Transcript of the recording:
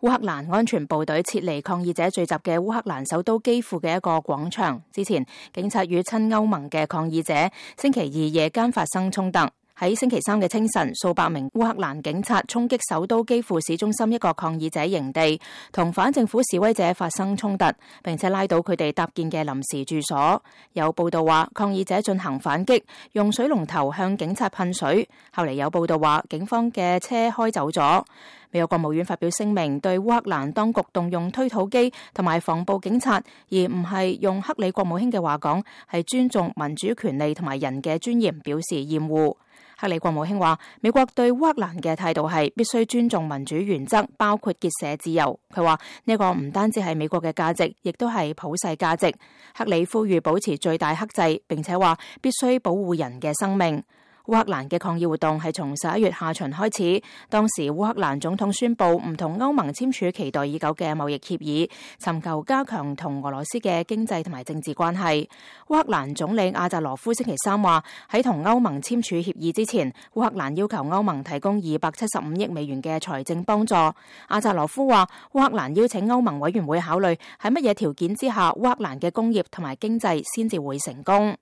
烏克蘭安全部隊撤離抗議者聚集嘅烏克蘭首都基輔嘅一個廣場。之前，警察與親歐盟嘅抗議者星期二夜間發生衝突。喺星期三嘅清晨，數百名烏克蘭警察衝擊首都基輔市中心一個抗議者營地，同反政府示威者發生衝突，並且拉倒佢哋搭建嘅臨時住所。有報道話，抗議者進行反擊，用水龍頭向警察噴水。後嚟有報道話，警方嘅車開走咗。美國國務院發表聲明，對烏克蘭當局動用推土機同埋防暴警察，而唔係用克里國務卿嘅話講，係尊重民主權利同埋人嘅尊嚴，表示厭惡。克里國務卿話，美國對烏克蘭嘅態度係必須尊重民主原則，包括結社自由。佢話呢個唔單止係美國嘅價值，亦都係普世價值。克里呼籲保持最大克制，並且話必須保護人嘅生命。烏克蘭嘅抗議活動係從11月下旬開始，當時烏克蘭總統宣布唔同歐盟簽署期待已久嘅貿易協議，尋求加強同俄羅斯嘅經濟同埋政治關係。烏克蘭總理阿扎羅夫星期三話，喺同歐盟簽署協議之前，烏克蘭要求歐盟提供275億美元嘅財政幫助。阿扎羅夫話，烏克蘭邀請歐盟委員會考慮喺乜嘢條件之下，烏克蘭嘅工業同埋經濟先至會成功。